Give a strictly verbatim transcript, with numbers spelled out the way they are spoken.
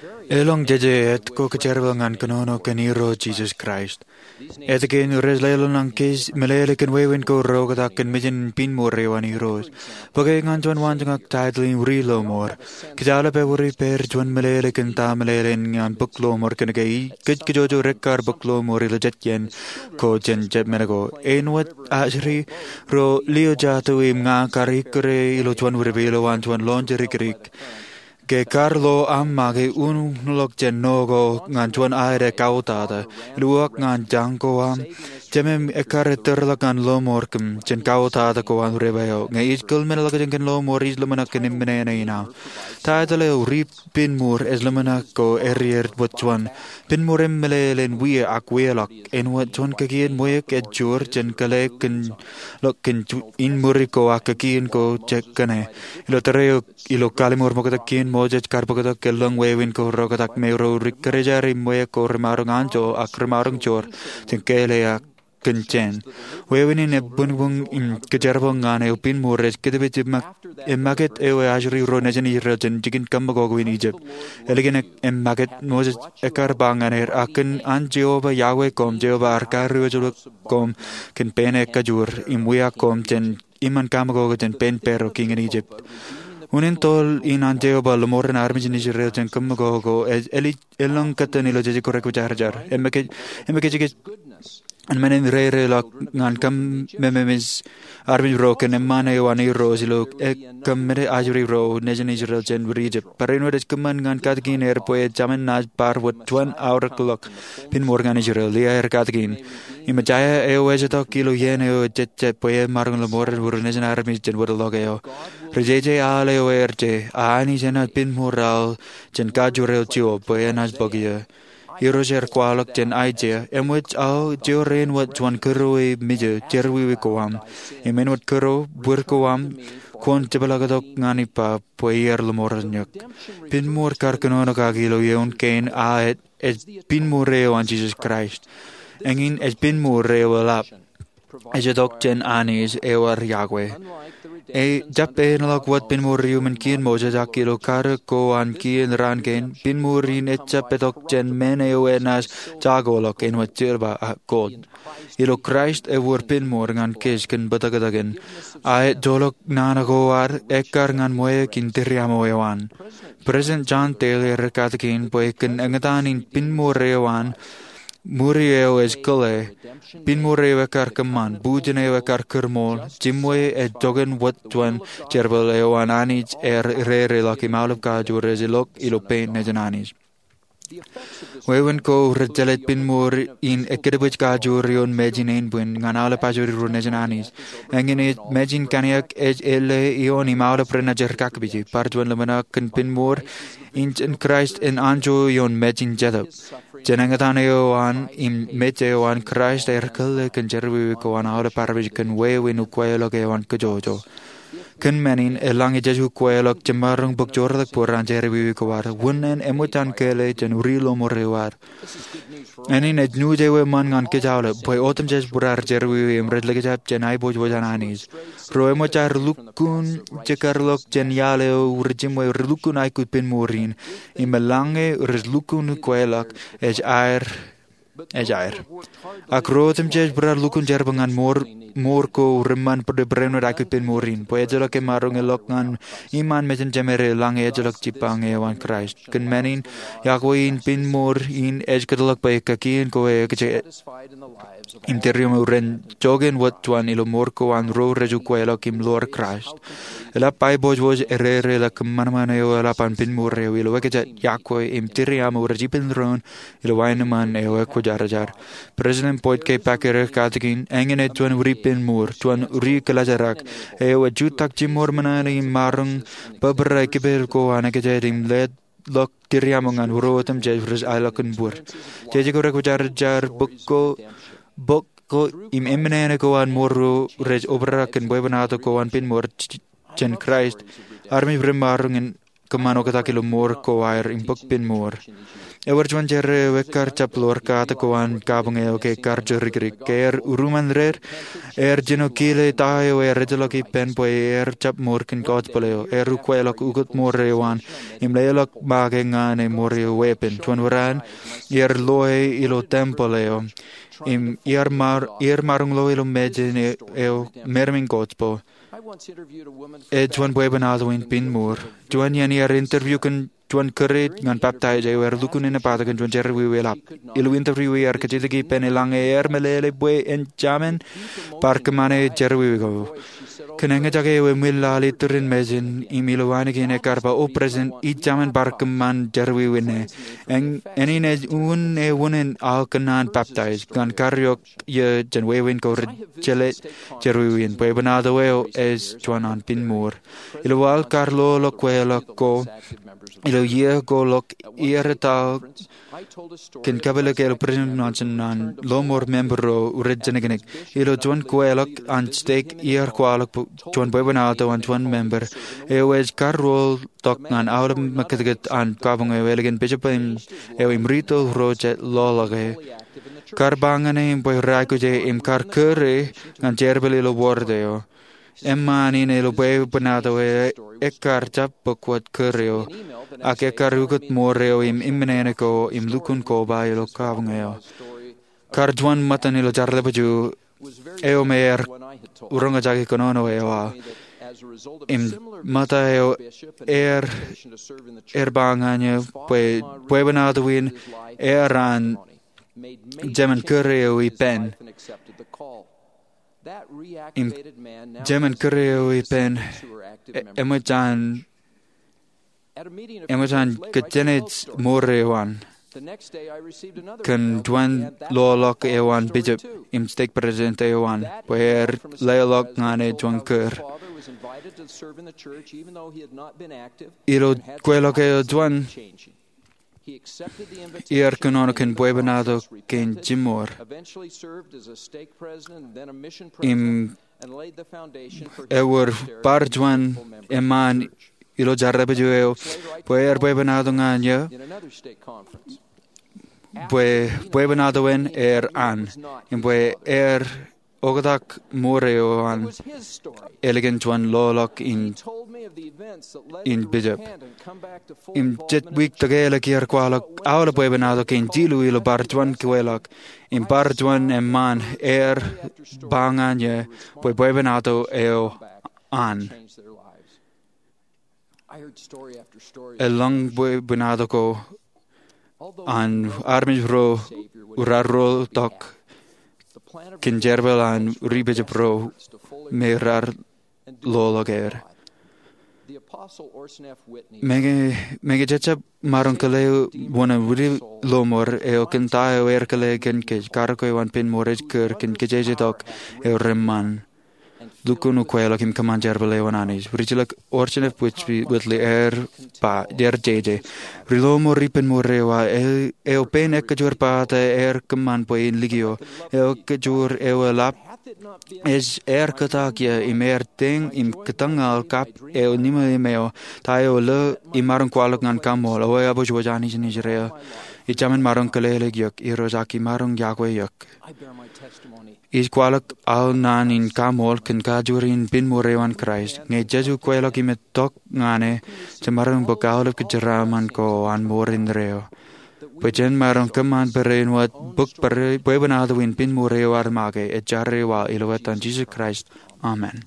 Elōñ jeje etko kōjerbal ñan kōnono kōn Irooj Jisōs Kraist. Etke rej leḷọk kōj meḷeḷe kōn wāween ko reoktak kōn mejān in piñmur eo an Irooj? Bōke ñan juon waanjoñak taitōl in Ri Lọmọọr. Kōj aolep ewōr ippāer juon meḷeḷe kōn ta meḷeḷe in ñan bōk lọmọọr kōnke kōj kajjojo rekkar bōk lọmọọr ilo jet iien ko jān jet men ko. Āinwōt ajri ro lio jatū im ña kar ikkure ilo juon wūrpe ilowaan juon lọñijerik ke kar lo aṃ make unuñlọk jān no ko ñan juon aet ekautata. Ilo uwaak ñan jañ ko aṃ, jemem ekkar ettōrḷọk ñan lọmọọr kōm jān kautata ko an reba eo. Ñe ij kōḷmenḷọkjeṇ kōn lọmọọr, ij ḷōmṇak kōn eṃṃan ṇe in aṃ. Taitōl eo Ri Piñmur ej ḷōmṇak ko errier wōt juon. Piñmur im meḷeḷe in wia ak wiaḷọk. Āinwōt juon kakien ṃweiuk ej joor jān kōḷḷe kōn ḷọk kōn inmuri ko ak kakien ko jekane. Ilo tōre eo ilo Kallim̧ur Ṃoktak Kien, Moses kar bōktok ke lōñ wāween ko reoktak me ro ri kōjjeraer im ṃweiuk ko remaroñ anjọ ak remaroñ joor jān kōḷḷe ak kōn jān. Wāween in ebbuñbūñ im kōjerbal ñan eo piñmur ej kōttōpij eṃṃakūt eo ajri ro nejin Israel jān jikin kōmmokoko in Ijipt. Ālikin eṃṃakūt, Moses ekkar ba ñan er, ak kōn an Jeova Yahweh koṃ, Jeova ar kariwōjḷọk koṃ kōn pein e kajoor im wiaak koṃ jān iṃaan kaṃakoko jān pein Paro kiiñ in Ijipt. Unin toḷ in an Jeova ḷōmọọren armej in Israel jān kōmmokoko ej elōñ kōttan ilo jeje ko rekwōjarjar. Im ekwe, im ekwe jekōj in men in rereḷọk ñan kōm mememeej armej ro kōn eṃṃaan eo an Irooj ilo kōm men ajri ro nejin Israel jān wōt Ijipt. Barāinwōt ej kōṃṃan ñan katakin er bwe ej jemān naaj bar wōt juon aorōkḷọk piñmur ñan Israel. Lia er katakin. Im Aiseia eo ej itok ilo iien eo ejejjet bwe en maroñ ḷōmọọren wūr nejin armej jān wōtḷọk eo. Ri jeje al eo er je, a Anij enaaj piñmur al jān kajoor eo jio bwe enaaj bōk eō. Irooj er kwaḷọk jān Aiseia, eṃōj aō joor āinwōt juon kūrue mijo jerọwiwi ko aṃ. Im āinwōt kūrue bwir ko aṃ, kwōn jepḷaaktok ñan ippa bwe iar ḷōmọọren eok. Piñmur kar kōnono kaki ilo eoon kein a ej piñmur eo an Jisōs Kraist. Eñin ej piñmur eo eḷap. Ej itok jān Anij eo ad Yahweh. Ejjab āinḷọk wōt piñmur iuṃwin kien Moses ak ilo karōk ko an kien raan kein, piñmur in ejjab itok jān men eo enaaj jakoḷọk āinwōt silver ak gold. Ilo Kraist ewōr piñmur ñan kōj kōn bōtōktōkin. A ejjeḷọk nana ko ad ekkar ñan ṃweiuk in tūriaṃo eo an. President John Taylor ej katakin bwe kōn eñtaan in piñmur eo an, ṃuri eo ej kōḷḷe, piñmur eo ekkar kōṃṃan, bujen eo ekkar kūrṃool, jiṃwe ej joñan wōt juon jerbal eo an Anij ear rereḷọk im aolep kajoor ej ilọk ilo pein nejin Anij. Wāween ko rej jelōt piñmur in ekkōtpōj kajoor ioon mejin ānbwin ñan aolep ajri ro nejin Anij. Eñin ej mejin kaniōk ej ālle ioon im aolep renaaj er kakpije. Bar juon ḷōmṇak kōn piñmur in jān Kraist en anjọ ioon mejin jetōb. Jān eñtaan eo an im mej eo an Kraist ear kōḷḷe kōn jerọwiwi ko an aolep armej kōn wāween ukweḷọk eo an kōjọjọ. Kōn men in, eḷaññe jej ukweḷọk jemaroñ bōk joortak bōd an jerọwiwi ko ad, wūnin eṃōj an kōḷḷe jān ri ḷōṃur eo ad. Eñin ej nuuj eo eṃṃan ñan kōj aolep, bwe otemjej būruod jerọwiwi im rej likjab jān aiboojoj an Anij. Ro eṃōj aer lukkuun jekar ḷọk jān iaḷ eo rej jiṃwe, rej lukkuun aikuj piñmur in, im eḷaññe rej lukkuun ukweḷọk, ej aer ej aer. Ak ro otemjej būruod lukkuun jerbal ñan mour, mour ko reṃṃan bōd barāinwōt aikuj piñmur in, bwe ejjeḷọk emaroñ ḷọk ñan iṃaan mejān jemād eḷaññe ejjeḷọk jibbañ eo an Kraist. Kōn men in, Yahweh in piñmur in ej kōtḷọk bwe kakien ko ekōjkan im tūriaṃo ren joñan wōt juon ilo mour ko an ro rej ukweḷọk im ḷoor Kraist. Eḷap aiboojoj erereḷọk kōṃanṃan eo eḷap an piñmur eo ilo ekōjkan Yahweh im tūriaṃo rej ippān doon ilo aenōṃṃan eo ekwōjarjar. President Boyd K. Packer ej katakin, eñin ej juon ri piñmur, juon ri kōḷajarak, eo ej jutak jiṃor ṃōṇōṇō im maroñ bōbrae kipel ko an ekōjkan im leḷọk tūriaṃo ñan ro otemjej rej aelọkin bōd. Jeje ko rekwōjarjar bōk ko, bōk ko im eṃṃan eo an mour ro rej obrak kōn bwebwenato ko an piñmur j-, jān Kraist. Armej remaroñ in kōṃṃan oktak ilo mour ko aer im bōk pin mour. Ewōr juon jerā eo ekkar jab ḷoor katak ko an kabuñ eo ke kar jorikirik. Ke er uruṃṃan rer, er jino kile ta eo er ejjeḷọk ippān bwe er jab mour kōn gospel eo. Er ukweḷọk ukōt mour eo an im leḷọk make ñan e mour eo weeppān. Juon wōran, er loe ilo tempeḷ eo im er maroñ lo ilo mejān eo meram in gospel. Ej juon bwebwenato in pin mour. Juon iien er interview kōn juon kūr ñan baptize eo, er lukkuun inepata kōn juon jerọwiwi eḷap. Ilo interview er kajjitōk ippān eḷaññe er meḷeḷe bwe en jemān bar kōṃṃane jerọwiwi ko. Kōn eñjake ewi ṃwilaḷ iturin mejān im ilo ainikien ekkar ba, O Presiden, ij jemān bar kōṃṃan jerọwiwi ṇe. Eñin ej unin ewi in aō kōnnaan baptize ñan kar eok iiō jān wāween ko rej jeḷā jerọwiwi in. Bwebwenato eo ej juon an pin mour. Ilo waḷọk kar loḷọk kweilọk ko ilo iiō ko ḷọk, er etto kōn kapeḷḷọk ilo Presiden Monson an lọmọọr member ro rej jeniknik. Ilo juon kweilọk an stek er kwaḷọk juon bwebwenato an juon member eo ej kar rool tok ñan aolep mekitkit an kabuñ eo ālikin bishop eo im rito ro jej ḷoḷọk e. Kar ba ñan e bwe rej aikuj e im kar kūr e ñan jerbal ilo ward eo. Eṃṃaan in ilo bwebwenato eo ekkar jab bōk wōt kūr eo, ak ekkar ukōt mour eo im iṃōṇōṇō ko im lukkuun koba ilo kabuñ eo. Kar juon ṃōttan ilo jerbal eo me er roñjake kōnono eo aō. Im ṃōtta eo er, er ba ñan e bwe bwebwenato in er an jemān kūr eo ippān. Im jemān kūr eo ippān, e, eṃōj an eṃōj an kōjjenej mour eo an kōn juon ḷoḷọk eo an bishop im stake president eo an bwe er leḷọk ñan e juon kūr. Ilo kweilọk eo juon, er kōnono kōn bwebwenato kein jimor. Im ewōr bar juon eṃṃaan ilo jerbal eo bwe er bwebwenato ñan eō, bwe bwebwenato in er an, im bwe er oktak mour eo an ālikin juon ḷoḷọk in, in bishop. Im jet wiik tōkeḷọk er kwaḷọk aolep bwebwenato kein jilu ilo bar juon kweilọk, im bar juon eṃṃaan er ba ñan eō bwe bwebwenato eo an. Eḷaññe bwebwenato ko an armej ro raar rool tok kōn jerbal an ri bishop ro me raar ḷoḷọk er. Meñe, meñe jej jab maroñ kile wōn ri ḷōṃor eo kōn ta eo er kile kōn kōj, karōk eo an pin mour ej kūr kōn kōjjeje tok eo reṃṃan. Lukkuun ukweḷọk im kōṃṃan jerbal eo an Anij. Ri-jilōk Orson F. Whitney er ba, er jeje, ri ḷōṃor ri pin mour eo aō, eo pein ekkejur pata er kōṃṃan bwe in likio, eo ekkejur eo eḷap, ej er kōtak iiō im er teiñ im kōtōñal kab eo ṇima im eo, ta eo lo imaroñ kwaḷọk ñan kaṃool, eo ebōj wōj Anij in Israel. Ij jemān maroñ kile ḷọk eok, Irooj, ak imaroñ yokwe eok. Ij kwaḷọk aō naan in kaṃool kōn kajuri in pin mour eo an Kraist. Ñe jej ukweḷọk im itok ñan e, jemaroñ bōk aolep kōjeraaṃṃan ko an mour indeeo. Bwe jen maroñ kōṃṃan barāinwōt bōk bwe, bwebwenato in pin mour eo ad make, ej jera waḷọk ilo etan Jisōs Kraist. Amen.